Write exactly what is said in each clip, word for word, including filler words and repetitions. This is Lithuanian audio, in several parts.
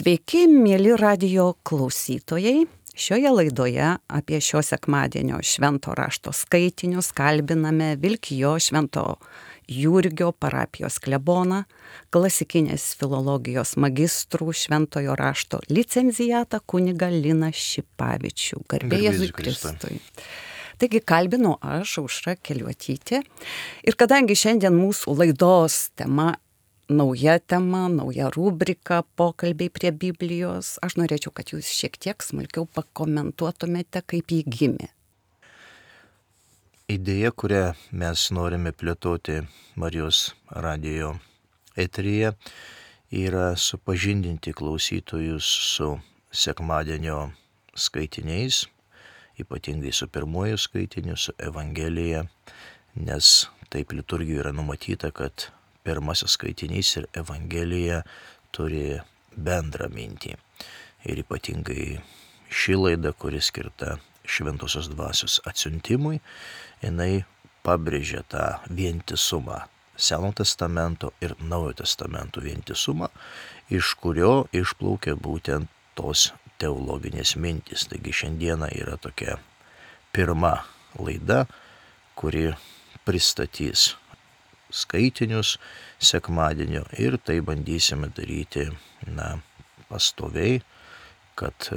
Sveiki, mėly radijo klausytojai. Šioje laidoje apie šio sekmadienio švento rašto skaitinius kalbiname Vilkijo Švento Jurgio parapijos kleboną, klasikinės filologijos magistrų šventojo rašto licencijatą kunigą Liną Šipavičių. Garbė Jėzui Kristui. Taigi kalbinu aš, Aušra Keliuotytė. Ir kadangi šiandien mūsų laidos tema nauja tema, nauja rubrika, pokalbiai prie Biblijos, aš norėčiau, kad jūs šiek tiek smulkiau pakomentuotumėte, kaip jį gimė. Idėja, kurią mes norime plėtoti Marijos radijo eteryje, yra supažindinti klausytojus su sekmadienio skaitiniais, ypatingai su pirmuoju skaitiniu, su Evangelija, nes taip liturgijoje yra numatyta, kad pirmasis skaitinys ir Evangelija turi bendrą mintį. Ir ypatingai ši laida, kuri skirta Šventosios Dvasios atsiuntimui, jinai pabrėžia tą vientisumą, Seno testamento ir Naujojo testamento vientisumą, iš kurio išplaukia būtent tos teologinės mintys. Taigi šiandieną yra tokia pirma laida, kuri pristatys skaitinius sekmadienio ir tai bandysime daryti na, pastoviai, kad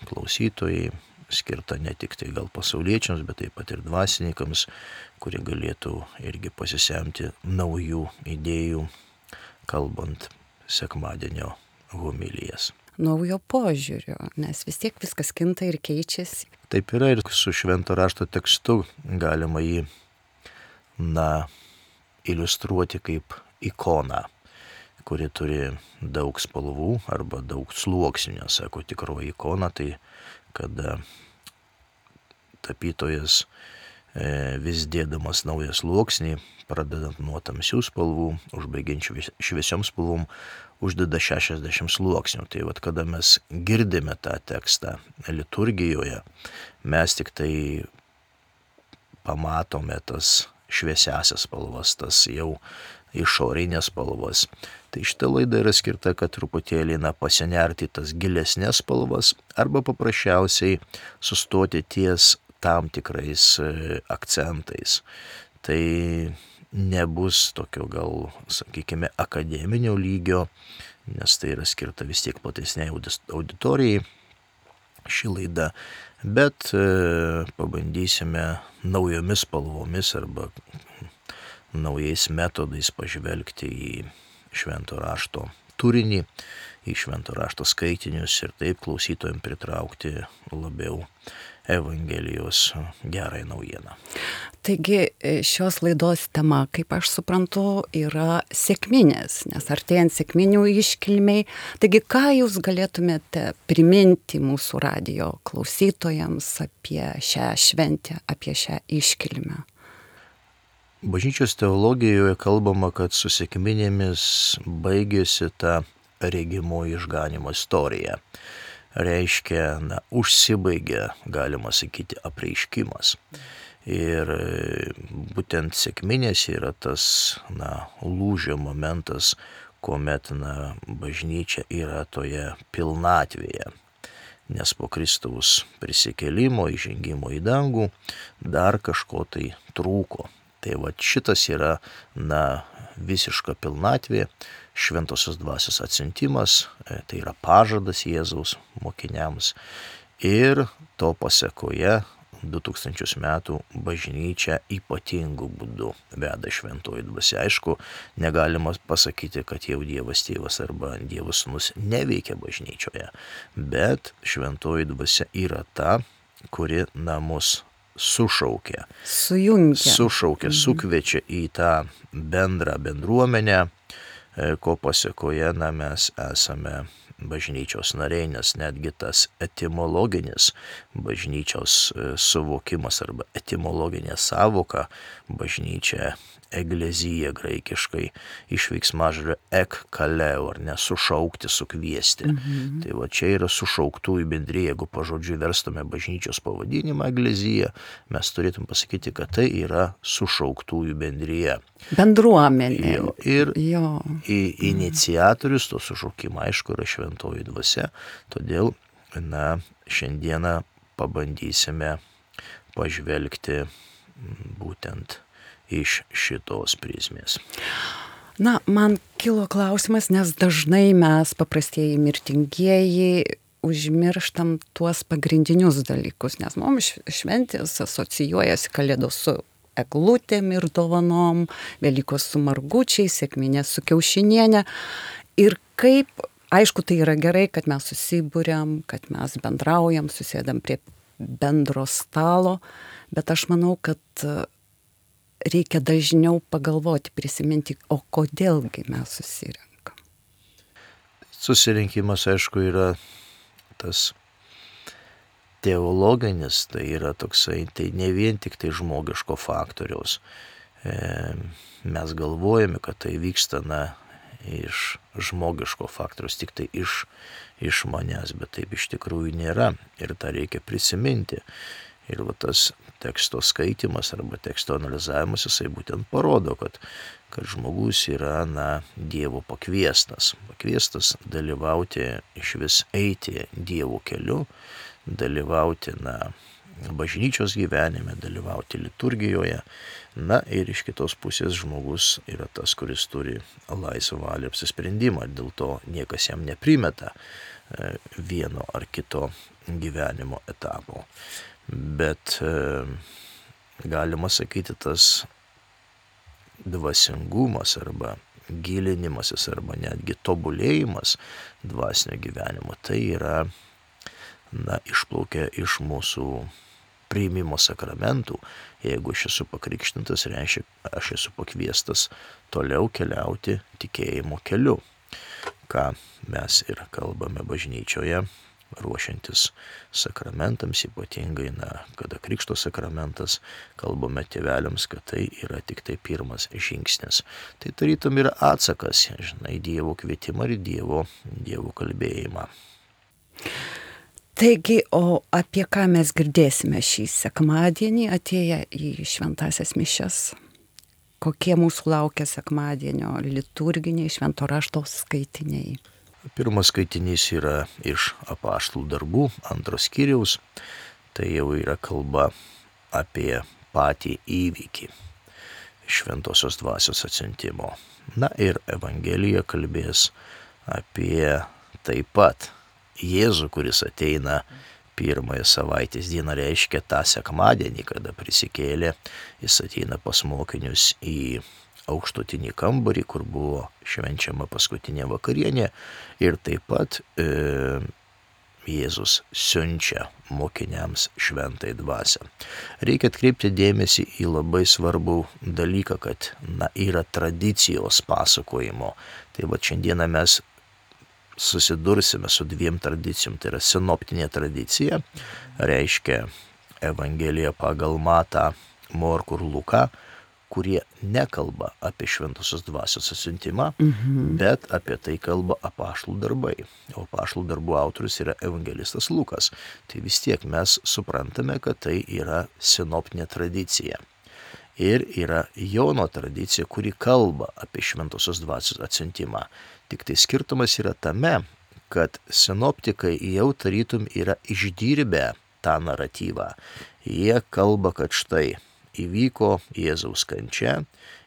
klausytojai skirta ne tik tai gal pasauliečiams, bet taip pat ir dvasininkams, kurie galėtų irgi pasisemti naujų idėjų, kalbant sekmadienio homilijas. Naujo požiūrio, nes vis tiek viskas kinta ir keičiasi. Taip yra ir su švento rašto tekstu galima jį, na, iliustruoti kaip ikoną, kuri turi daug spalvų arba daug sluoksnių. Sako, tikroji ikona, tai kada tapytojas e, vis dėdamas naują sluoksnį, pradedant nuo tamsių spalvų, užbaigiant šviesiom spalvom, uždeda šešiasdešimt sluoksnių. Tai vat, kada mes girdime tą tekstą liturgijoje, mes tik tai pamatome tas šviesiasias spalvas, tas jau išorinės spalvas. Tai šita laida yra skirta, kad truputėlį na, pasinerti tas gilesnės spalvas arba paprasčiausiai sustoti ties tam tikrais e, akcentais. Tai nebus tokio gal, sakykime, akademinio lygio, nes tai yra skirta vis tiek platesniai auditorijai ši laida, bet e, pabandysime naujomis spalvomis arba naujais metodais pažvelgti į švento rašto turinį, į švento rašto skaitinius ir taip klausytojams pritraukti labiau Evangelijos gerąją naujieną. Taigi šios laidos tema, kaip aš suprantu, yra sekminės, nes artėjant sekminių iškilmiai. Taigi ką jūs galėtumėte priminti mūsų radijo klausytojams apie šią šventę, apie šią iškilmę? Bažnyčios teologijoje kalbama, kad su sekminėmis baigėsi ta regimoji išganymo istorija. Reiškia, na, užsibaigia, galima sakyti, apreiškimas. Ir būtent sekminės yra tas, na, lūžio momentas, kuomet, na, bažnyčia yra toje pilnatvėje. Nes po Kristaus prisikėlimo, įžengimo į dangų, dar kažko tai trūko. Tai va šitas yra, na, visiška pilnatvė, šventosios dvasios atsiuntimas, tai yra pažadas Jėzaus mokiniams. Ir to pasekoje du tūkstančius metų bažnyčia ypatingų būdų veda šventoji dvasia. Aišku, negalima pasakyti, kad jau Dievas tėvas arba Dievas sūnus neveikia bažnyčioje, bet šventoji dvasia yra ta, kuri namus sušaukia, sujungia, sušaukia, sukviečia į tą bendrą bendruomenę, ko pasekoje na, mes esame bažnyčios nariai, nes netgi tas etimologinis bažnyčios suvokimas arba etimologinė sąvoka bažnyčia, eklezija graikiškai, iš veiksmažodžio ek kaleo, ar ne, sušaukti, sukviesti. Mhm. Tai va čia yra sušauktųjų bendrija. Jeigu pažodžiui verstume bažnyčios pavadinimą eklezija, mes turėtum pasakyti, kad tai yra sušauktųjų bendrija. Bendruomenė. Jo, ir jo. Į, iniciatorius to sušaukimo, aišku, yra šventas šventoji dvasia. Todėl, na, šiandieną pabandysime pažvelgti būtent iš šitos prizmės. Na, man kilo klausimas, nes dažnai mes, paprastieji mirtingieji, užmirštam tuos pagrindinius dalykus, nes mums šventės asocijuojasi Kalėdos su eglutėm ir dovanom, Velykos su margučiais, sekminės su kiaušinienė. Ir kaip, aišku, tai yra gerai, kad mes susibūriam, kad mes bendraujam, susėdam prie bendro stalo, bet aš manau, kad reikia dažniau pagalvoti, prisiminti, o kodėlgi mes susirenkam. Susirinkimas, aišku, yra tas teologinis, tai yra toksai, tai ne vien tik tai žmogiško faktoriaus. E, mes galvojame, kad tai vyksta, na, iš žmogiško faktoriaus, tik tai iš, iš manęs, bet taip iš tikrųjų nėra. Ir tą reikia prisiminti. Ir va tas teksto skaitimas arba teksto analizavimas, jisai būtent parodo, kad, kad žmogus yra, na, Dievo pakviestas. Pakviestas dalyvauti, iš vis eiti Dievo keliu, dalyvauti, na, bažnyčios gyvenime, dalyvauti liturgijoje. Na ir iš kitos pusės žmogus yra tas, kuris turi laisvą valią apsisprendimą, dėl to niekas jam neprimeta vieno ar kito gyvenimo etapo. Bet e, galima sakyti, tas dvasingumas arba gilinimasis arba netgi tobulėjimas dvasinio gyvenimo, tai yra, na, išplaukia iš mūsų priimimo sakramentų. Jeigu aš esu pakrikštintas, reiškia, aš esu pakviestas toliau keliauti tikėjimo keliu, ką mes ir kalbame bažnyčioje, ruošiantis sakramentams, ypatingai, na, kada krikšto sakramentas, kalbame tėveliams, kad tai yra tik tai pirmas žingsnis. Tai tarytum yra atsakas, žinai, Dievo kvietimą ir Dievo, Dievo kalbėjimą. Taigi, o apie ką mes girdėsime šį sekmadienį atėję į šventąsias mišias? Kokie mūsų laukia sekmadienio liturginiai švento rašto skaitiniai? Pirmas skaitinys yra iš apaštalų darbų, antros skyriaus. Tai jau yra kalba apie patį įvykį šventosios dvasios atsiuntimo. Na ir Evangelija kalbės apie taip pat Jėzų, kuris ateina pirmąją savaitės dieną, reiškia tą sekmadienį, kada prisikėlė, jis ateina pas mokinius į aukštutinį kambarį, kur buvo švenčiama paskutinė vakarienė, ir taip pat e, Jėzus siunčia mokiniams šventai dvasią. Reikia atkreipti dėmesį į labai svarbų dalyką, kad, na, yra tradicijos pasakojimo. Tai va šiandieną mes susidursime su dviem tradicijom. Tai yra sinoptinė tradicija, reiškia Evangelija pagal Matą, Morkų ir Luką, kurie nekalba apie šventosios dvasios atsiuntimą, mhm. bet apie tai kalba apaštalų darbai. O apaštalų darbų autorius yra evangelistas Lukas. Tai vis tiek mes suprantame, kad tai yra sinoptinė tradicija. Ir yra Jono tradicija, kuri kalba apie šventosios dvasios atsiuntimą. Tik tai skirtumas yra tame, kad sinoptikai jau tarytum yra išdirbę tą naratyvą. Jie kalba, kad štai įvyko Jėzaus kančia,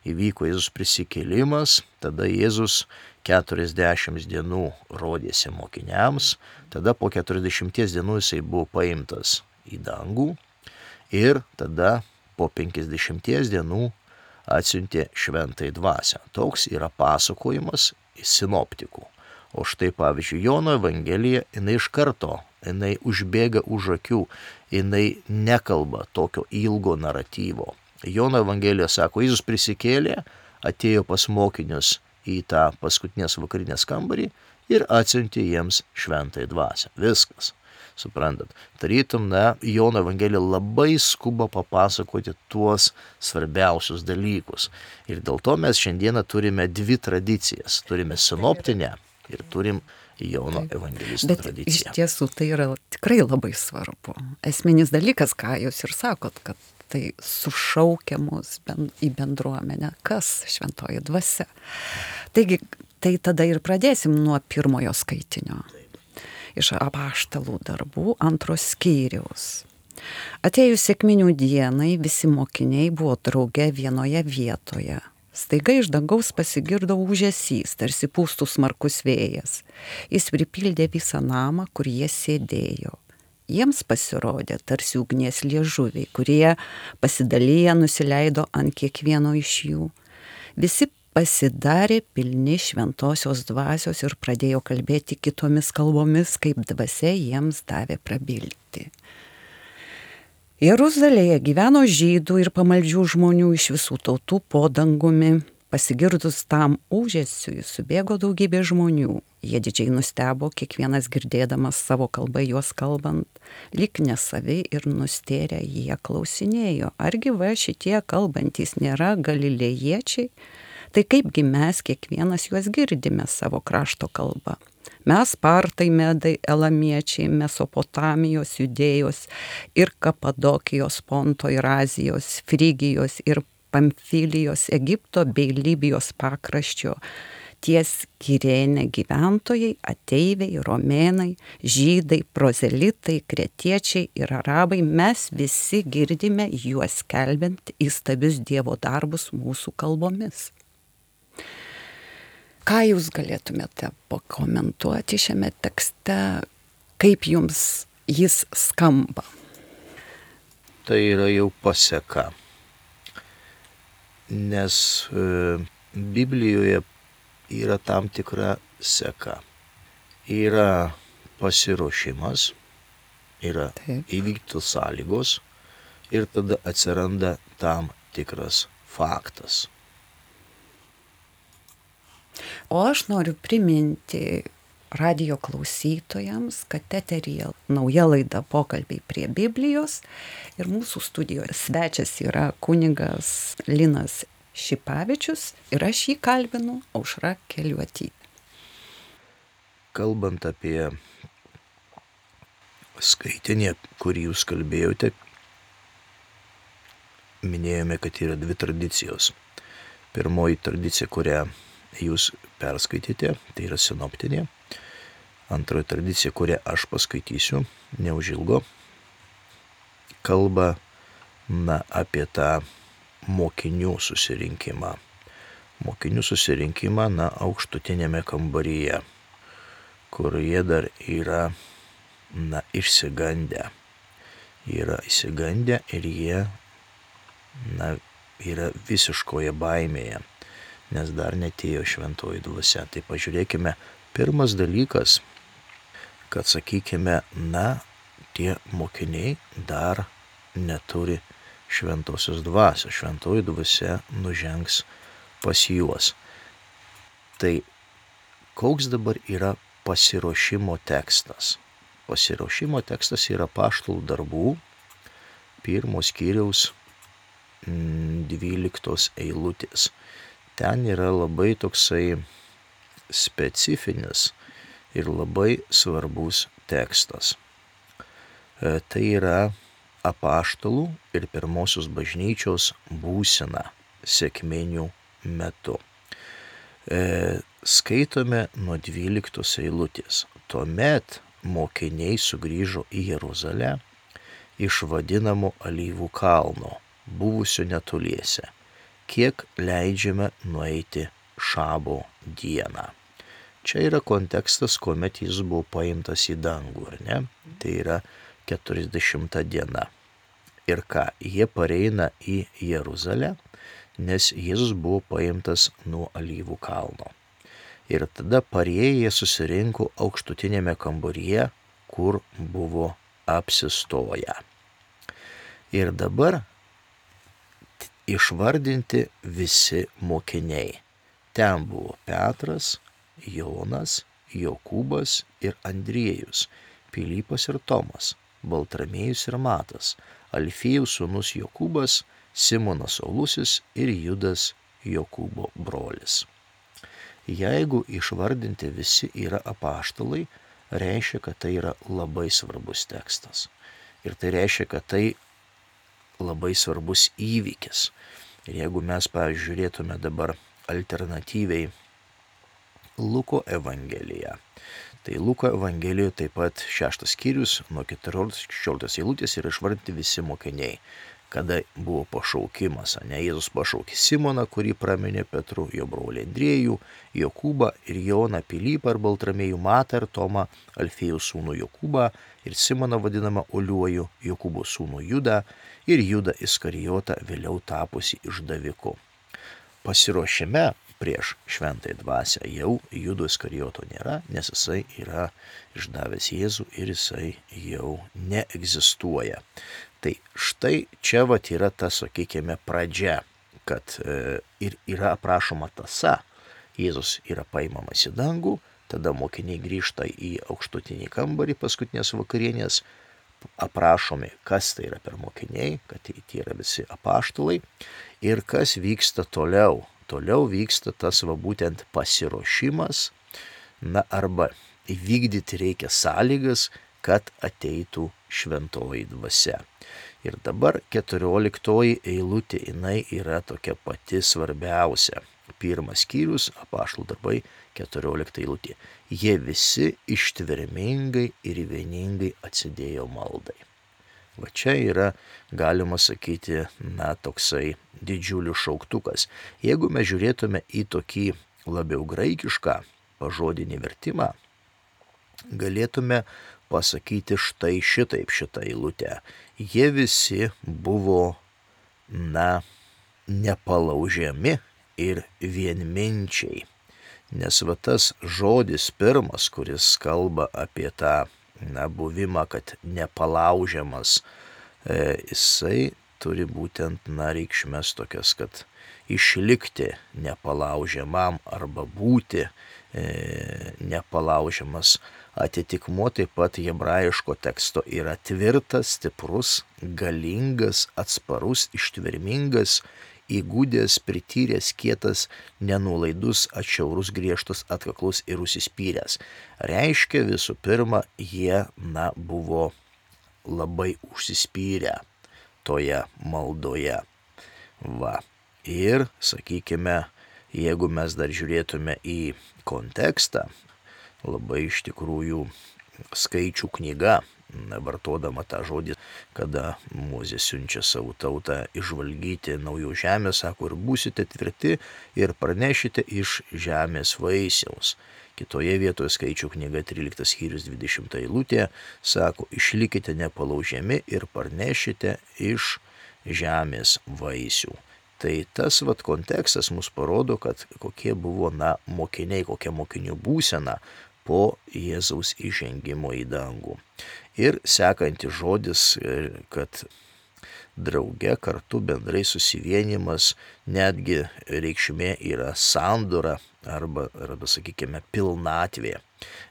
įvyko Jėzus prisikėlimas, tada Jėzus keturiasdešimt dienų rodėsi mokiniams, tada po keturiasdešimties dienų jisai buvo paimtas į dangų ir tada po penkiasdešimties dienų atsiuntė šventąją dvasią. Toks yra pasakojimas sinoptikų. O štai pavyzdžiui Jono Evangelija, jinai iš karto, jinai užbėga už akių, jinai nekalba tokio ilgo naratyvo. Jono Evangelija sako, Jėzus prisikėlė, atėjo pas mokinius į tą paskutinės vakarinės kambarį ir atsiuntė jiems šventąją dvasią. Viskas. Suprantat, tarytum, na, Jono Evangelija labai skuba papasakoti tuos svarbiausius dalykus. Ir dėl to mes šiandieną turime dvi tradicijas. Turime sinoptinę ir turim Jono evangelisto Bet tradiciją. Iš tiesų tai yra tikrai labai svarbu. Esminis dalykas, ką jūs ir sakot, kad tai sušaukia mus ben, į bendruomenę. Kas šventoji dvasia? Taigi, Tai tada ir pradėsim nuo pirmojo skaitinio. Iš apaštalų darbų antros skyriaus. Atėjus sekminių dienai visi mokiniai buvo drauge vienoje vietoje. Staiga iš dangaus pasigirdo ūžesys, tarsi pūstų smarkus vėjas. Jis pripildė visą namą, kur jie sėdėjo. Jiems pasirodė tarsi ugnies liežuviai, kurie pasidalyję nusileido ant kiekvieno iš jų. Visi pasidarė pilni šventosios dvasios ir pradėjo kalbėti kitomis kalbomis, kaip dvasia jiems davė prabilti. Jeruzalėje gyveno žydų ir pamaldžių žmonių iš visų tautų po dangumi. Pasigirdus tam ūžesiui subėgo daugybė žmonių. Jie didžiai nustebo, kiekvienas girdėdamas savo kalbą juos kalbant, lyg nesavi ir nustėrę jie klausinėjo, argi va šitie kalbantys nėra galilėjiečiai? Tai kaipgi mes kiekvienas juos girdime savo krašto kalbą? Mes partai, medai, elamiečiai, Mesopotamijos, Judėjos ir Kapadokijos, Ponto ir Azijos, Frygijos ir Pamfilijos, Egipto bei Libijos pakraščio, ties Kirėne gyventojai, ateiviai, romėnai, žydai, prozelitai, kretiečiai ir arabai, mes visi girdime juos skelbiant įstabius Dievo darbus mūsų kalbomis. Ką jūs galėtumėte pakomentuoti šiame tekste, kaip jums jis skamba? Tai yra jau paseka, nes e, Biblijoje yra tam tikra seka. Yra pasiruošimas, yra Taip. Įvyktų sąlygos ir tada atsiranda tam tikras faktas. O aš noriu priminti radijo klausytojams, kad eteryje nauja laida Pokalbiai prie Biblijos ir mūsų studijoje svečias yra kunigas Linas Šipavičius ir aš jį kalbinu Aušra Keliuotytė. Kalbant apie skaitinį, kurį jūs kalbėjote, minėjome, kad yra dvi tradicijos. Pirmoji tradicija, kurią jūs perskaitėte, tai yra sinoptinė. Antroji tradicija, kurią aš paskaitysiu, neužilgo, kalba na, apie tą mokinių susirinkimą. Mokinių susirinkimą, na, aukštutinėme kambaryje, kur jie dar yra, na, išsigandę. Yra išsigandę ir jie, na, yra visiškoje baimėje, nes dar netėjo šventoji dvasia. Tai pažiūrėkime, pirmas dalykas, kad sakykime, na, tie mokiniai dar neturi šventosios dvasios. Šventoji dvasia nužengs pas juos. Tai koks dabar yra pasiruošimo tekstas? Pasiruošimo tekstas yra Apaštalų darbų pirmos skyriaus dvyliktos eilutės. Ten yra labai toksai specifinis ir labai svarbus tekstas. E, tai yra apaštalų ir pirmosios bažnyčios būsena sekminių metu. E, skaitome nuo dvyliktos eilutės. Tuomet mokiniai sugrįžo į Jeruzalę iš vadinamo Alyvų kalno, buvusio netoliese, kiek leidžiame nueiti šabo dieną. Čia yra kontekstas, kuomet jis buvo paimtas į dangų, ar ne? Tai yra keturiasdešimta diena. Ir ką? Jie pareina į Jeruzalę, nes Jėzus buvo paimtas nuo Alyvų kalno. Ir tada parėję susirinko aukštutinėme kambaryje, kur buvo apsistoję. Ir dabar išvardinti visi mokiniai. Ten buvo Petras, Jonas, Jokūbas ir Andriejus, Pilypas ir Tomas, Baltramiejus ir Matas, Alfiejus sūnus Jokūbas, Simonas Saulusis ir Judas Jokūbo brolis. Jeigu išvardinti visi yra apaštalai, reiškia, kad tai yra labai svarbus tekstas. Ir tai reiškia, kad tai labai svarbus įvykis. Ir jeigu mes, pavyzdžiui, žiūrėtume dabar alternatyviai Luko Evangelija. Tai Luko Evangelijoje taip pat šeštas skyrius nuo keturioliktos iki šešioliktos eilutės yra išvardinti visi mokiniai, kada buvo pašaukimas. Ne, Jėzus pašaukė Simoną, kurį praminė Petru, jo brolį Andriejų, Jokūbą ir Joną, Pilypą ir Baltramiejų, Matą ir Tomą, Alfėjų sūnų Jokūbą ir Simoną vadinamą Oliuoju, Jokūbo sūnų Judą ir Judą Iskarijotą, vėliau tapusi išdaviku. Pasiruošime prieš šventąją dvasią jau Judo Iskarijoto nėra, nes jisai yra išdavęs Jėzų ir jisai jau neegzistuoja. Tai štai čia vat yra ta, sakykime, pradžia, kad e, ir yra aprašoma tąsa. Jėzus yra paimamas į dangų, tada mokiniai grįžta į aukštutinį kambarį paskutinės vakarienės, aprašomi, kas tai yra per mokiniai, kad tai yra visi apaštalai ir kas vyksta toliau. Toliau vyksta tas va būtent pasiruošimas, na arba įvykdyti reikia sąlygas, kad ateitų šventoji dvasia. Ir dabar keturioliktoji eilutė, jinai yra tokia pati svarbiausia. Pirmas skyrius, apaštalų darbai, keturiolikta eilutė. Jie visi ištvermingai ir vieningai atsidėjo maldai. Va čia yra, galima sakyti, na, toksai didžiulis šauktukas. Jeigu mes žiūrėtume į tokį labiau graikišką pažodinį vertimą, galėtume pasakyti štai šitaip šitą eilutę. Jie visi buvo, na, nepalaužiami ir vienminčiai. Nes va tas žodis pirmas, kuris kalba apie tą, na, buvimą, kad nepalaužiamas, e, jisai turi būtent, na, reikšmes tokias, kad išlikti nepalaužiamam arba būti e, nepalaužiamas. Atitikmuo taip pat hebrajiško teksto yra tvirtas, stiprus, galingas, atsparus, ištvermingas, įgudęs, prityręs, kietas, nenulaidus, atšiaurus, griežtas, atkaklus ir užsispyręs. Reiškia, visų pirma, jie, na, buvo labai užsispyrę toje maldoje. Va. Ir, sakykime, jeigu mes dar žiūrėtume į kontekstą, labai iš tikrųjų skaičių knyga, vartodama tą žodį, kada Mozė siunčia savo tautą išvalgyti naujų žemės, sako, ir būsite tvirti ir pranešite iš žemės vaisiaus. Kitoje vietoje skaičių knyga tryliktas skyrius dvidešimta eilutė, sako, išlikite nepalaužiami ir parnešite iš žemės vaisių. Tai tas vat kontekstas mus parodo, kad kokie buvo, na, mokiniai, kokia mokinių būsena po Jėzaus įžengimo į dangų. Ir sekantis žodis, kad drauge kartu bendrai susivienimas, netgi reikšmė yra sandora arba, arba sakykime, pilnatvė.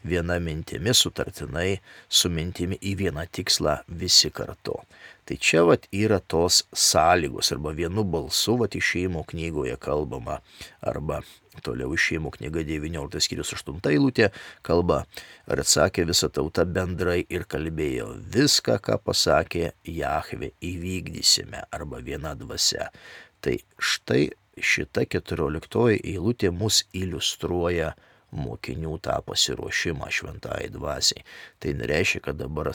Viena mintimi sutartinai su mintimi į vieną tikslą visi kartu. Tai čia vat yra tos sąlygos, arba vienu balsu, vat Išėjimo knygoje kalbama, arba toliau Išėjimo knyga devynioliktas skyrius aštunta eilutė kalba, ir atsakė visa tauta bendrai ir kalbėjo, viską, ką pasakė Jahvė, įvykdysime, arba viena dvasia. Tai štai šita keturioliktoji eilutė mus iliustruoja mokinių tą pasiruošimą šventai dvasiai. Tai nereiškia, kad dabar,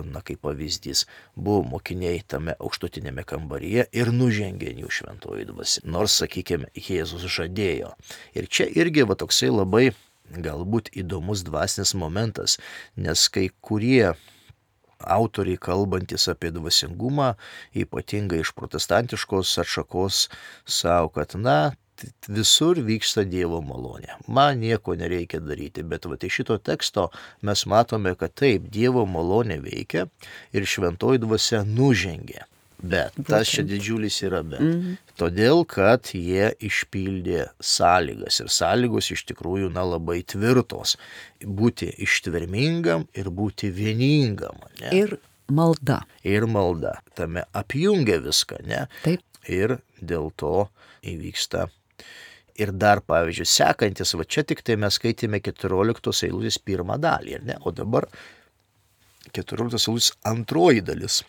na, kaip pavyzdys, buvo mokiniai tame aukštutinėme kambaryje ir nužengė jų šventoji dvasia. Nors, sakykime, Jėzus žadėjo. Ir čia irgi va toksai labai galbūt įdomus dvasinis momentas, nes kai kurie autoriai kalbantis apie dvasingumą, ypatingai iš protestantiškos atšakos, savo, kad, na, visur vyksta Dievo malonė. Man nieko nereikia daryti, bet va, iš šito teksto mes matome, kad taip, Dievo malonė veikia ir šventoji dvasia nužengė. Bet tas čia didžiulis yra bet. Mm-hmm. Todėl, kad jie išpildė sąlygas ir sąlygos iš tikrųjų, na, labai tvirtos. Būti ištvermingam ir būti vieningam. Ne? Ir malda. Ir malda. Tame apjungia viską, ne? Taip. Ir dėl to įvyksta. Ir dar, pavyzdžiui, sekantis, va čia tik tai mes skaitėme keturioliktos eilutės pirmą dalį, ne? O dabar keturioliktos eilutės antroji dalis.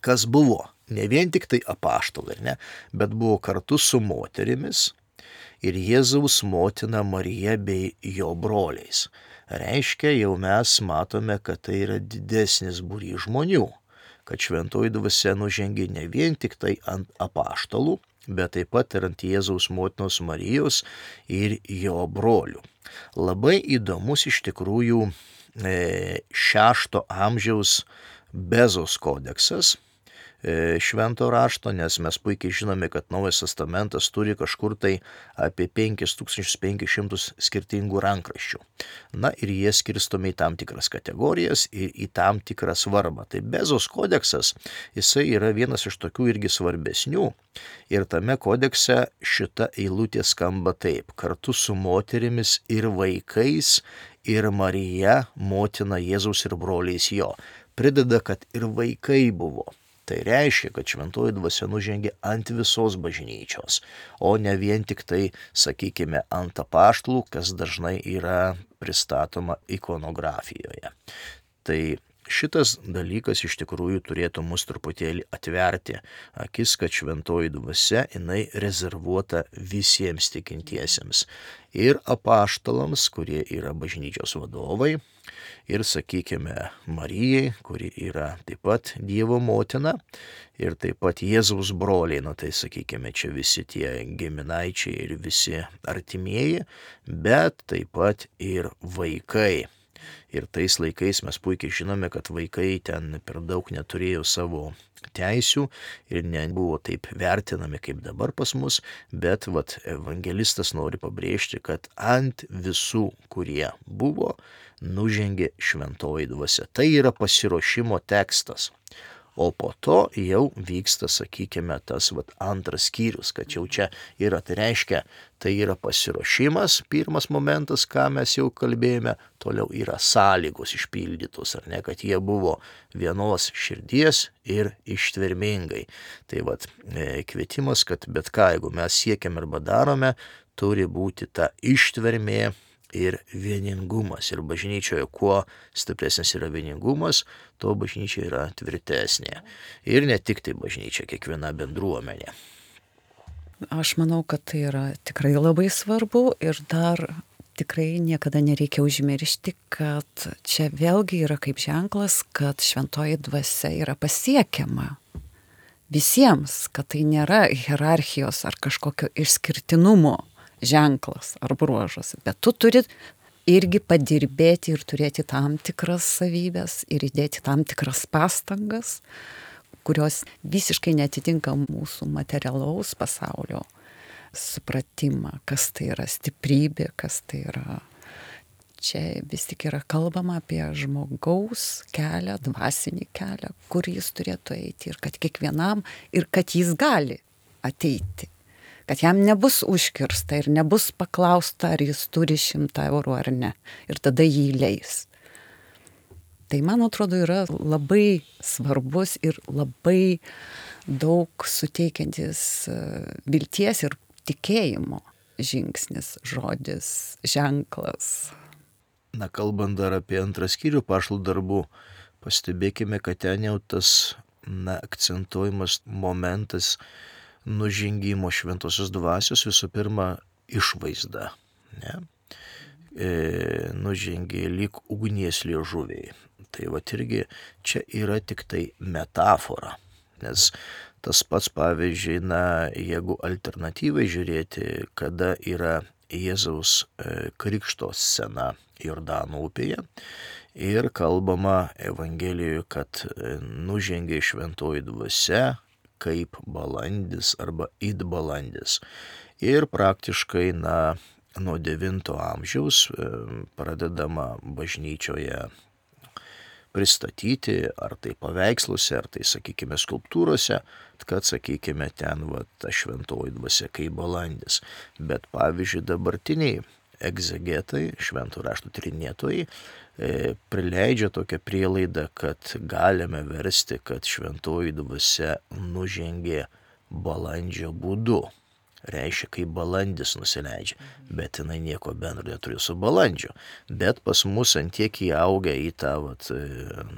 Kas buvo? Ne vien tik tai apaštalai, ne? Bet buvo kartu su moterimis ir Jėzaus motina Marija bei jo broliais. Reiškia, jau mes matome, kad tai yra didesnis būrys žmonių, kad šventoji dvasia nužengė ne vien tik tai ant apaštalų, bet taip pat ir ant Jėzaus motinos Marijos ir jo brolių. Labai įdomus iš tikrųjų šešto amžiaus Bezos kodeksas švento rašto, nes mes puikiai žinome, kad Naujas testamentas turi kažkur tai apie penkis tūkstančius penkis šimtus skirtingų rankraščių. Na ir jie skirstomi į tam tikras kategorijas ir į tam tikrą svarbą. Tai Bezos kodeksas, jisai yra vienas iš tokių irgi svarbesnių. Ir tame kodekse šita eilutė skamba taip: kartu su moterimis ir vaikais ir Marija, motina Jėzaus ir broliais jo. Prideda, kad ir vaikai buvo. Tai reiškia, kad šventoji dvasia nužengė ant visos bažnyčios, o ne vien tik tai, sakykime, ant apaštalų, kas dažnai yra pristatoma ikonografijoje. Tai šitas dalykas iš tikrųjų turėtų mus truputėlį atverti akis, kad šventoji dvasia jinai rezervuota visiems tikintiesiems. Ir apaštalams, kurie yra bažnyčios vadovai, ir, sakykime, Marijai, kuri yra taip pat Dievo motina, ir taip pat Jėzaus broliai, na tai, sakykime, čia visi tie giminaičiai ir visi artimieji, bet taip pat ir vaikai. Ir tais laikais mes puikiai žinome, kad vaikai ten per daug neturėjo savo teisių ir nebuvo taip vertinami kaip dabar pas mus, bet vat, evangelistas nori pabrėžti, kad ant visų, kurie buvo, nužengė šventoji dvasia. Tai yra pasiruošimo tekstas. O po to jau vyksta, sakykime, tas vat, antras skyrius, kad jau čia yra, tai reiškia, tai yra pasiruošimas, pirmas momentas, ką mes jau kalbėjome, toliau yra sąlygos išpildytos, ar ne, kad jie buvo vienos širdies ir ištvermingai. Tai vat, kvietimas, kad bet ką, jeigu mes siekiam arba darome, turi būti ta ištvermė ir vieningumas. Ir bažnyčioje kuo stipresnis yra vieningumas, to bažnyčia yra tvirtesnė. Ir ne tik tai bažnyčia, kiekviena bendruomenė. Aš manau, kad tai yra tikrai labai svarbu ir dar tikrai niekada nereikia užmiršti, kad čia vėlgi yra kaip ženklas, kad šventoji dvasia yra pasiekiama visiems, kad tai nėra hierarchijos ar kažkokio išskirtinumo ženklas ar bruožas, bet tu turi irgi padirbėti ir turėti tam tikras savybės ir įdėti tam tikras pastangas, kurios visiškai netitinka mūsų materialaus pasaulio supratimą, kas tai yra stiprybė, kas tai yra. Čia vis tik yra kalbama apie žmogaus kelią, dvasinį kelią, kur jis turėtų eiti ir kad kiekvienam, ir kad jis gali ateiti. Kad jam nebus užkirsta ir nebus paklausta, ar jis turi šimtą eurų ar ne. Ir tada jį leis. Tai, man atrodo, yra labai svarbus ir labai daug suteikiantis vilties ir tikėjimo žingsnis, žodis, ženklas. Na, kalbant dar apie antrą skyrių apaštalų darbų, pastebėkime, kad ten jau tas na, akcentuojamas momentas nužengimo šventosios dvasios, visų pirma, išvaizda. Ne? E, nužengė lyg ugnies liežuviai. Tai va irgi čia yra tik tai metafora. Nes tas pats, pavyzdžiui, na, jeigu alternatyvai žiūrėti, kada yra Jėzaus e, krikšto scena Jordano upėje ir kalbama Evangelijoje, kad e, nužengė šventoji dvasia kaip balandis arba it balandis. Ir praktiškai, na, nuo devinto amžiaus pradedama bažnyčioje pristatyti, ar tai paveiksluose, ar tai, sakykime, skulptūrose, kad, sakykime, ten va, ta šventoji dvasia kaip balandis. Bet, pavyzdžiui, dabartiniai egzegetai, švento rašto tyrinėtojai, e, prileidžia tokią prielaidą, kad galime versti, kad šventoji dvasia nužengė balandžio būdu. Reiškia, kaip balandis nusileidžia, bet jinai nieko bendro neturi su balandžiu. Bet pas mus antiek įaugia į tą vat,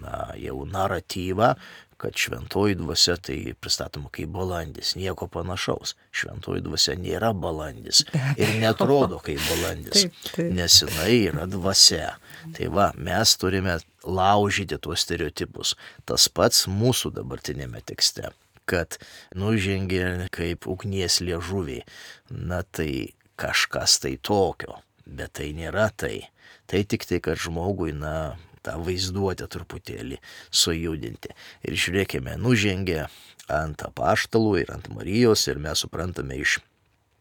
na, jau naratyvą, kad šventoji dvasia tai pristatoma kaip balandis, nieko panašaus. Šventoji dvasia nėra balandis ir netrodo kaip balandis, taip, taip. nes jinai yra dvasia. Tai va, mes turime laužyti tuos stereotipus. Tas pats mūsų dabartinėme tekste, kad nužengė kaip ugnies liežuviai. Na tai kažkas tai tokio, bet tai nėra tai. Tai tik tai, kad žmogui, na, tą vaizduotę truputėlį sujudinti. Ir žiūrėkime, nužengė ant apaštalų ir ant Marijos ir mes suprantame iš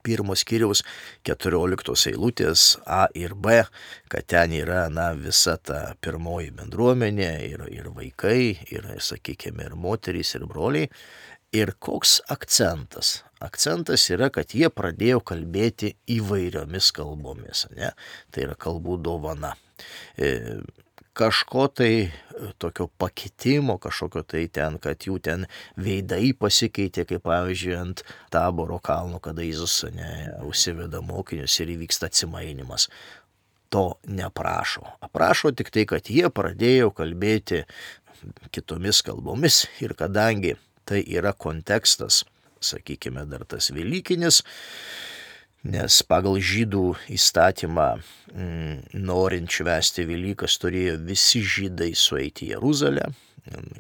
pirmos skyriaus keturioliktos eilutės A ir B, kad ten yra, na, visa ta pirmoji bendruomenė ir, ir vaikai, ir, sakykime, ir moterys, ir broliai. Ir koks akcentas? Akcentas yra, kad jie pradėjo kalbėti įvairiomis kalbomis, ne? Tai yra kalbų dovana. E, kažko tai tokio pakitimo, kažkokio tai ten, kad jų ten veidai pasikeitė, kaip pavyzdžiui ant Taboro kalno, kada Jėzus, ne, užsiveda mokinius ir įvyksta atsimainimas. To neprašo. Aprašo tik tai, kad jie pradėjo kalbėti kitomis kalbomis ir kadangi tai yra kontekstas, sakykime, dar tas velykinis, nes pagal žydų įstatymą m, norint švęsti Velykas turėjo visi žydai sueiti į Jeruzalę.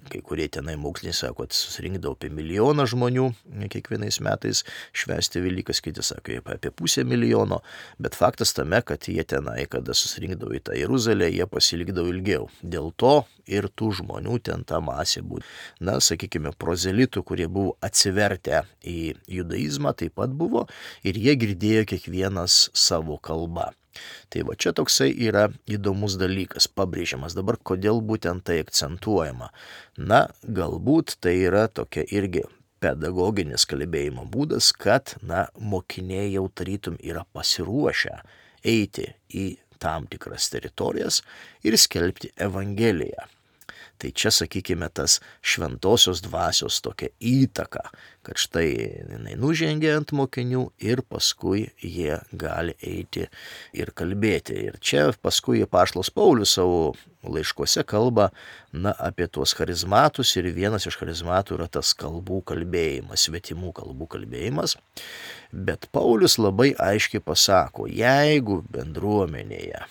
Kai kurie tenai moksliniai sako, kad susirinkdavo apie milijoną žmonių kiekvienais metais švęsti Velykas, kiti sako apie pusę milijono, bet faktas tame, kad jie tenai, kada susirinkdavo į tą Jeruzalę, jie pasilikdavo ilgiau. Dėl to ir tų žmonių ten ta masė būtų. Na, sakykime, prozelitų, kurie buvo atsivertę į judaizmą, taip pat buvo ir jie girdėjo kiekvienas savo kalbą. Tai va čia toksai yra įdomus dalykas, pabrėžiamas. Dabar kodėl būtent tai akcentuojama? Na, galbūt tai yra tokia irgi pedagoginis kalbėjimo būdas, kad, na, mokiniai jau tarytum yra pasiruošę eiti į tam tikras teritorijas ir skelbti Evangeliją. Tai čia, sakykime, tas šventosios dvasios tokia įtaka, kad štai jinai nužengė ant mokinių ir paskui jie gali eiti ir kalbėti. Ir čia paskui apaštalas Paulius savo laiškuose kalba, na, apie tuos charizmatus ir vienas iš charizmatų yra tas kalbų kalbėjimas, svetimų kalbų kalbėjimas. Bet Paulius labai aiškiai pasako, jeigu bendruomenėje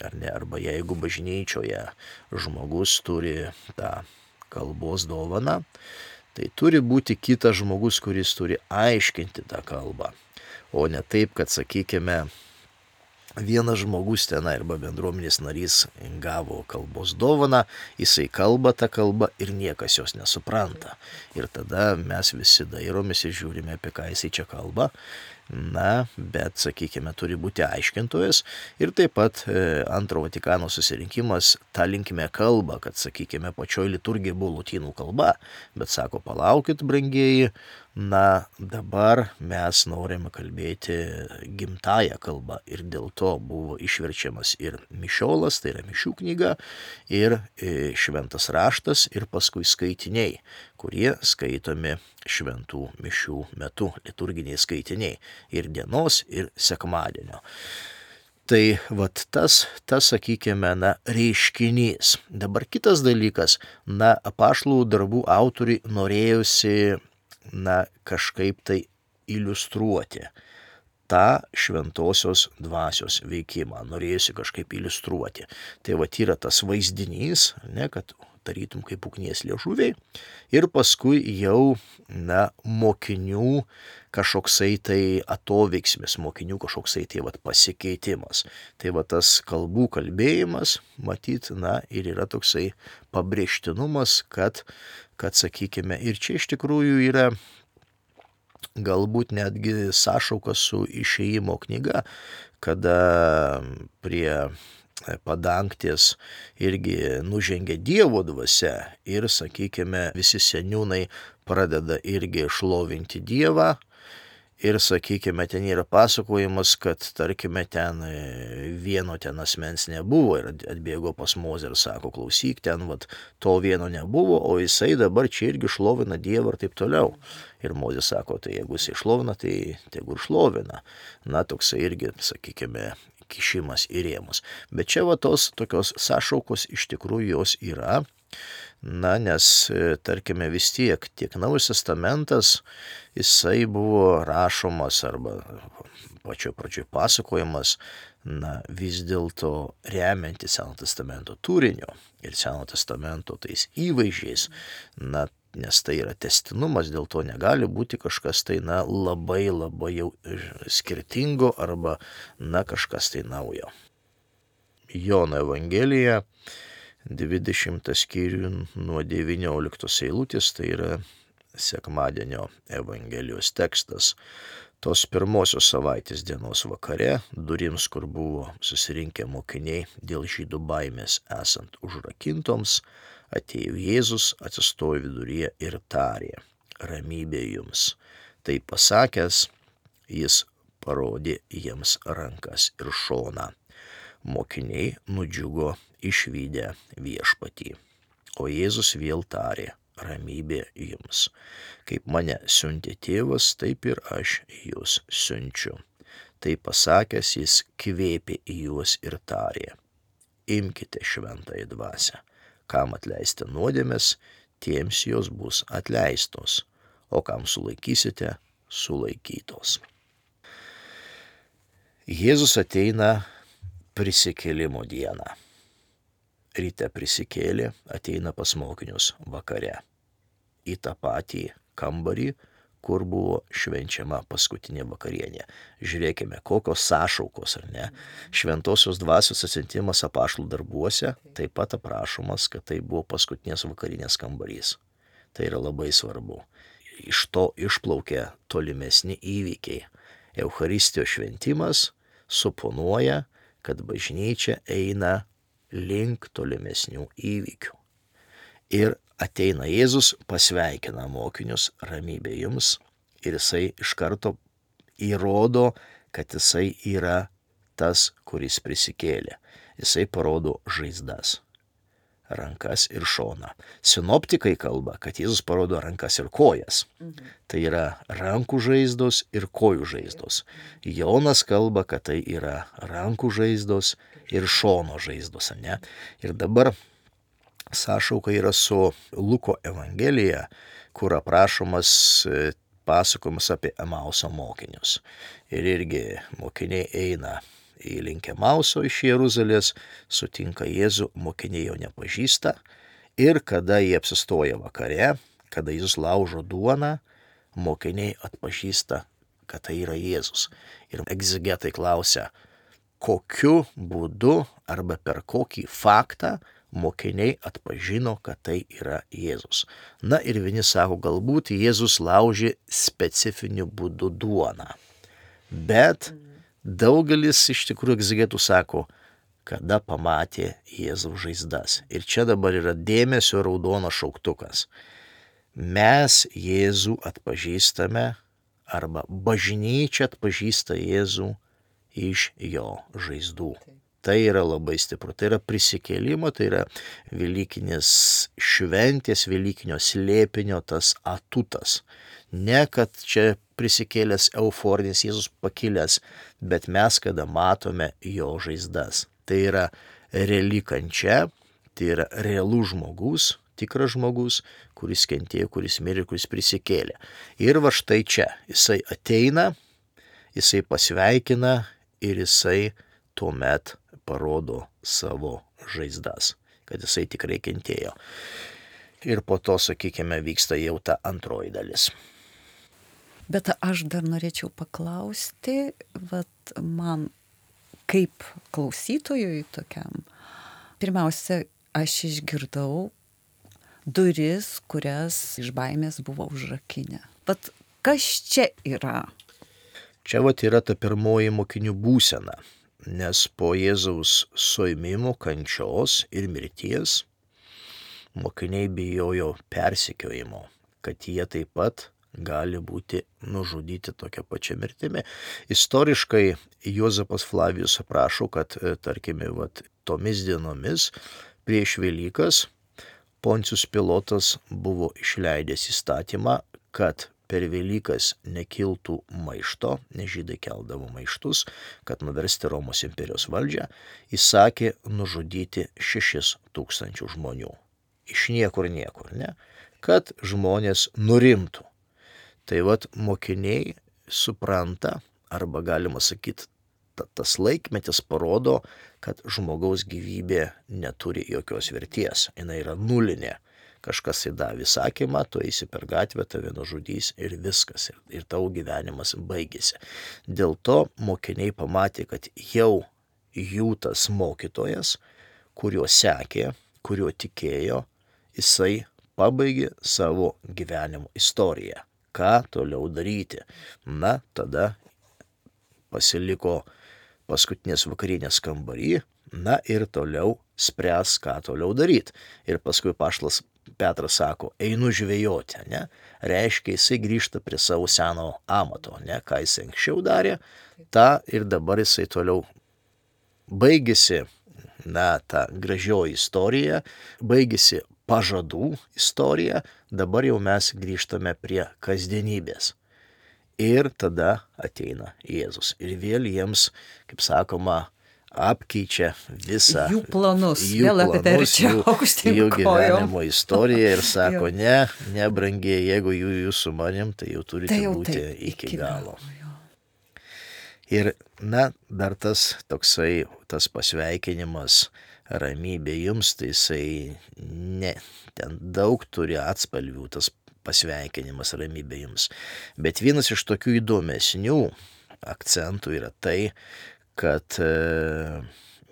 ar ne, arba jeigu bažnyčioje žmogus turi tą kalbos dovaną, tai turi būti kitas žmogus, kuris turi aiškinti tą kalbą, o ne taip, kad, sakykime, vienas žmogus tenai arba bendruomenės narys gavo kalbos dovaną, jisai kalba tą kalbą ir niekas jos nesupranta. Ir tada mes visi dairomės ir žiūrime, apie ką jisai čia kalba. Na, bet, sakykime, turi būti aiškintojas ir taip pat e, antro Vatikano susirinkimas tą linkme kalba, kad, sakykime, pačioj liturgija buvo lotynų kalba, bet sako, palaukit, brangieji, na, dabar mes norime kalbėti gimtąją kalbą ir dėl to buvo išverčiamas ir mišiolas, tai yra mišių knyga, ir e, šventas raštas ir paskui skaitiniai, kurie skaitomi šventų mišių metu, liturginiai skaitiniai ir dienos, ir sekmadienio. Tai vat tas, tas, sakykime, na, reiškinys. Dabar kitas dalykas, na, apaštalų darbų autoriai norėjusi, na, kažkaip tai iliustruoti tą šventosios dvasios veikimą, norėjusi kažkaip iliustruoti. Tai vat yra tas vaizdinys, ne, kad tarytum kaip ugnies liežuviai, ir paskui jau, na, mokinių kažkoksai tai atoveiksmis, mokinių kažkoksai tai vat pasikeitimas. Tai va tas kalbų kalbėjimas, matyt, na, ir yra toksai pabrėžtinumas, kad, kad, sakykime, ir čia iš tikrųjų yra galbūt netgi sąšauka su Išėjimo knyga, kada prie padangtės irgi nužengia Dievo dvasia ir, sakykime, visi seniūnai pradeda irgi šlovinti Dievą ir, sakykime, ten yra pasakojimas, kad, tarkime, ten vieno ten asmens nebuvo ir atbėgo pas Mozę ir sako, klausyk, ten vat, to vieno nebuvo, o jisai dabar čia irgi šlovina Dievą ir taip toliau. Ir Mozė sako, tai jeigu jisai šlovina, tai tegu ir šlovina. Na, toksai irgi, sakykime, kišimas į rėmus. Bet čia va tos tokios sąšaukos iš tikrųjų jos yra Na, nes, tarkime, vis tiek, tiek Naujas testamentas, jisai buvo rašomas arba pačioj pradžioj pasakojimas, na, vis dėlto remianti Seno testamento turiniu ir Seno testamento tais įvaizdžiais, na, nes tai yra tęstinumas, dėl to negali būti kažkas tai, na, labai labai jau skirtingo arba, na, kažkas tai naujo. Jono Evangelija, dvidešimtas skyrių nuo devynioliktos eilutės, tai yra sekmadienio Evangelijos tekstas. Tos pirmosios savaitės dienos vakare, durims, kur buvo susirinkę mokiniai dėl žydų baimės esant užrakintoms, atėjo Jėzus, atsistojo viduryje ir tarė: ramybė jums. Tai pasakęs, jis parodė jiems rankas ir šoną. Mokiniai nudžiugo išvydę viešpatį. O Jėzus vėl tarė: ramybė jums. Kaip mane siuntė tėvas, taip ir aš jūs siunčiu. Tai pasakęs, jis kvėpė į juos ir tarė: imkite šventąją dvasią. Kam atleisti nuodėmes, tiems jos bus atleistos, o kam sulaikysite, sulaikytos. Jėzus ateina prisikėlimo dieną. Ryte prisikėlė, ateina pas mokinius vakare. Į tą patį kambarį, kur buvo švenčiama paskutinė vakarienė. Žiūrėkime, kokios sąšaukos, ar ne? Šventosios dvasios atsiuntimas apaštalų darbuose taip pat aprašomas, kad tai buvo paskutinės vakarienės kambarys. Tai yra labai svarbu. Iš to išplaukia tolimesni įvykiai. Eucharistijos šventimas suponuoja, kad bažnyčia eina link tolimesnių įvykių. Ir ateina Jėzus, pasveikina mokinius: ramybė jums, ir jisai iš karto įrodo, kad jisai yra tas, kuris prisikėlė. Jisai parodo žaizdas, rankas ir šoną. Sinoptikai kalba, kad Jėzus parodo rankas ir kojas. Mhm. Tai yra rankų žaizdos ir kojų žaizdos. Jonas kalba, kad tai yra rankų žaizdos ir šono žaizdos, ne? Ir dabar sąšauka yra su Luko Evangelija, kur aprašomas pasakojimas apie Emauso mokinius. Ir irgi mokiniai eina į link Emauso iš Jeruzalės, sutinka Jėzų, mokiniai jo nepažįsta. Ir kada jie apsistoja vakare, kada Jėzus laužo duoną, mokiniai atpažįsta, kad tai yra Jėzus. Ir egzegetai klausia, kokiu būdu arba per kokį faktą mokiniai atpažino, kad tai yra Jėzus. Na ir vieni sako, galbūt Jėzus laužė specifiniu būdu duoną. Bet daugelis iš tikrųjų egzegetų sako, kada pamatė Jėzaus žaizdas. Ir čia dabar yra dėmesio raudonas šauktukas. Mes Jėzų atpažįstame, arba bažnyčia atpažįsta Jėzų iš jo žaizdų. Tai yra labai stipru, tai yra prisikėlimo, tai yra velykinės šventės, velykinio slėpinio tas atutas. Ne, kad čia prisikėlęs euforinis Jėzus pakilęs, bet mes kada matome jo žaizdas. Tai yra reali kančia, tai yra realus žmogus, tikras žmogus, kuris kentėjo, kuris mirė, kuris prisikėlė. Ir va štai čia, jisai ateina, jisai pasveikina ir jisai tuomet parodo savo žaizdas, kad jisai tikrai kentėjo. Ir po to, sakykime, vyksta jau ta antroji dalis. Bet aš dar norėčiau paklausti, vat man kaip klausytojui tokiam, pirmiausia, aš išgirdau duris, kurias iš baimės buvo užrakinę. Vat kas čia yra? Čia vat yra ta pirmoji mokinių būsena. Nes po Jėzaus suėmimo, kančios ir mirties mokiniai bijojo persekiojimo, kad jie taip pat gali būti nužudyti tokia pačia mirtimi. Istoriškai Juozapas Flavijus aprašo, kad, tarkime, vat, tomis dienomis prieš Velykas Poncijus Pilotas buvo išleidęs įstatymą, kad per Velykas nekiltų maišto, nes žydai keldavo maištus, kad nuversti Romos imperijos valdžią, įsakė nužudyti šešis tūkstančių žmonių. iš niekur niekur, ne? Kad žmonės nurimtų. Tai vat mokiniai supranta, arba galima sakyti, tas laikmetis parodo, kad žmogaus gyvybė neturi jokios verties, jinai yra nulinė. Kažkas įdavė įsakymą, tu eisi per gatvę, tave nužudys ir viskas, ir, ir tavo gyvenimas baigėsi. Dėl to mokiniai pamatė, kad jau jų tas mokytojas, kuriuo sekė, kuriuo tikėjo, jisai pabaigė savo gyvenimo istoriją. Ką toliau daryti? Na, tada pasiliko paskutinės vakarienės kambarį, na ir toliau spręs, ką toliau daryti. Ir paskui paštas Petras sako, einu žvejoti, ne? Reiškia, jisai grįžta prie savo seno amato, ne? Ką jis anksčiau darė, tą ir dabar jisai toliau baigėsi, na, ta gražioji istorija, baigėsi pažadų istorija, dabar jau mes grįžtame prie kasdienybės. Ir tada ateina Jėzus. Ir vėl jiems, kaip sakoma, apkeičia visą jų planus, jų, vėl planus, jų, jų gyvenimo istoriją ir sako, ne, ne brangiai, jeigu jų jūs su manim, tai jau turite tai jau būti tai, iki, iki galo. galo. Ir, na, dar tas toksai, tas pasveikinimas, ramybė jums, tai jisai, ne, ten daug turi atspalvių, tas pasveikinimas, ramybė jums. Bet vienas iš tokių įdomesnių akcentų yra tai, kad e,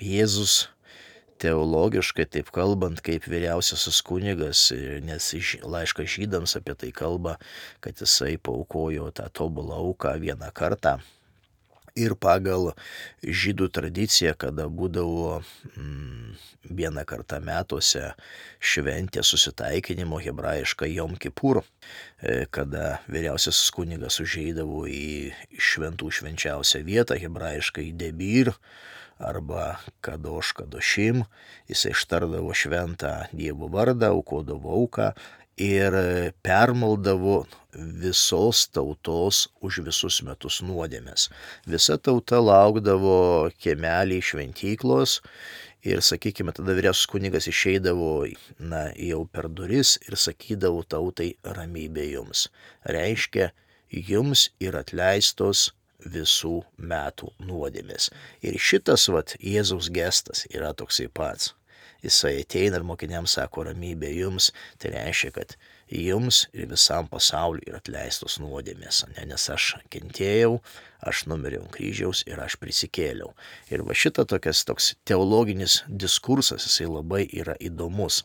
Jėzus teologiškai, taip kalbant, kaip vyriausiasis kunigas, nes laiškas žydams apie tai kalba, kad jisai paaukojo tą tobulą auką vieną kartą. Ir pagal žydų tradiciją, kada būdavo mm, vieną kartą metuose šventė susitaikinimo hebrajiška Jom Kipur, kada vyriausiasis kunigas užeidavo į šventų švenčiausią vietą, hebrajiška į Debir arba Kadoš Kadošim, jisai ištardavo šventą Dievo vardą, aukodavo auką ir permaldavo visos tautos už visus metus nuodėmes. Visa tauta laukdavo kiemelį šventyklos ir, sakykime, tada vyriausias kunigas išeidavo, na, jau per duris ir sakydavo tautai ramybė jums. Reiškia, jums yra atleistos visų metų nuodėmės. Ir šitas, vat, Jėzaus gestas yra toksai pats. Jisai ateina ir mokiniams sako, ramybė jums, tai reiškia, kad jums ir visam pasauliu yra atleistos nuodėmės, ne? Nes aš kentėjau, aš numiriau ant kryžiaus ir aš prisikėliau. Ir va šita tokias, toks teologinis diskursas, jisai labai yra įdomus.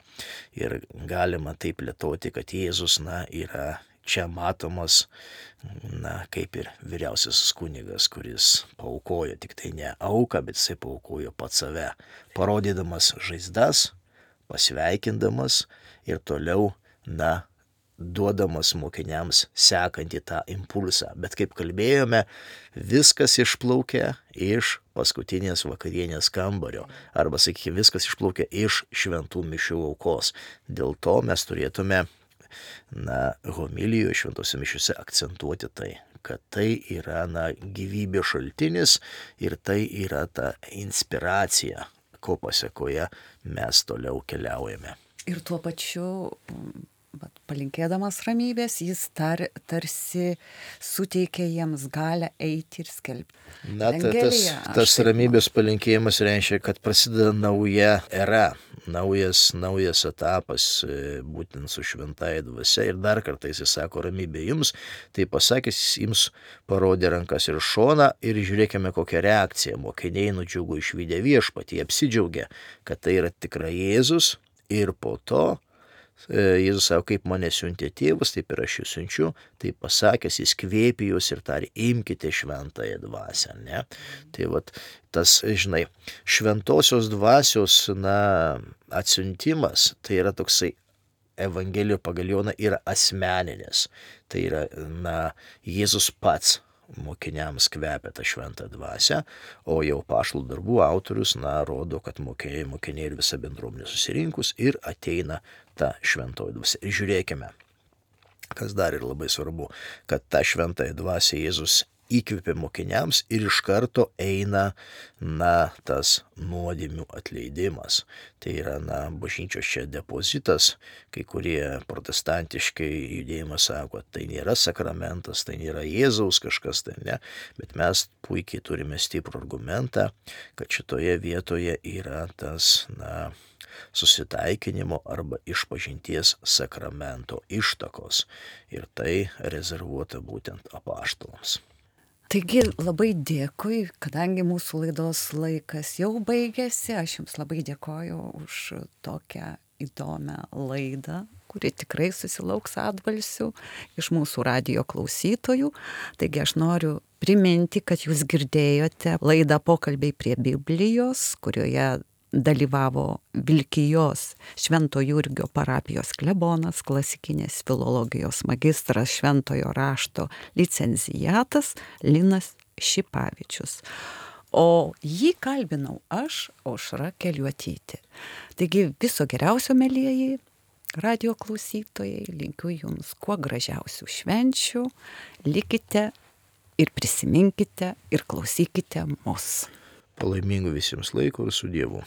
Ir galima taip plėtoti, kad Jėzus, na, yra čia matomas, na, kaip ir vyriausiasis kunigas, kuris paaukojo tik tai ne auką, bet jisai paaukojo pats save, parodydamas žaizdas, pasveikindamas ir toliau, na, duodamas mokiniams sekantį tą impulsą. Bet kaip kalbėjome, viskas išplaukia iš paskutinės vakarienės kambario, arba, sakykime, viskas išplaukia iš šventų mišių aukos. Dėl to mes turėtume, na, homilijoje šventose mišiuose akcentuoti tai, kad tai yra, na, gyvybės šaltinis ir tai yra ta inspiracija, ko pasekoje mes toliau keliaujame. Ir tuo pačiu, bet palinkėdamas ramybės, jis tar, tarsi suteikia jiems galę eiti ir skelbti. Na, ta, tas, tas ramybės palinkėjimas reiškia, kad prasideda nauja era, naujas, naujas etapas, būtent su šventąja dvasia. Ir dar kartą jis sako, ramybė jums, tai pasakęs, jis jums parodė rankas ir šoną ir žiūrėkime, kokią reakciją. Mokiniai nudžiugo išvydę viešpatį, apsidžiaugė, kad tai yra tikrai Jėzus ir po to Jėzus sako, kaip mane siuntė tėvas, taip ir aš jūs siunčiu, tai pasakęs, jis kvėpė jūs ir tarė, imkite šventąją dvasią, ne? Tai vat, tas, žinai, šventosios dvasios, na, atsiuntimas, tai yra toksai Evangelijoje pagal Joną yra asmeninis, tai yra, na, Jėzus pats mokiniams kvepia tą šventą dvasią, o jau apaštalų darbų autorius, na, rodo, kad mokiniai, mokiniai ir visa bendruomenė susirinkus ir ateina ta šventoji dvasia. Ir žiūrėkime, kas dar ir labai svarbu, kad tą šventąją dvasią Jėzus įkvepia mokiniams ir iš karto eina, na, tas nuodėmių atleidimas. Tai yra, na, bažnyčios čia depozitas, kai kurie protestantiškai judėjimas sako, tai nėra sakramentas, tai nėra Jėzaus kažkas, tai ne, bet mes puikiai turime stiprų argumentą, kad šitoje vietoje yra tas, na, susitaikinimo arba išpažinties sakramento ištakos ir tai rezervuota būtent apaštalams. Taigi labai dėkui, kadangi mūsų laidos laikas jau baigėsi, aš Jums labai dėkoju už tokią įdomią laidą, kuri tikrai susilauks atbalsių iš mūsų radijo klausytojų. Taigi aš noriu priminti, kad Jūs girdėjote laidą Pokalbiai prie Biblijos, kurioje dalyvavo Vilkijos Švento Jurgio parapijos klebonas, klasikinės filologijos magistras, šventojo rašto licencijatas Linas Šipavičius. O jį kalbinau aš, Aušra Keliuotytė. Taigi viso geriausio, mielieji radijo klausytojai, linkiu Jums kuo gražiausių švenčių, likite ir prisiminkite ir klausykite mus. Palaimingų visiems laiko ir su Dievu.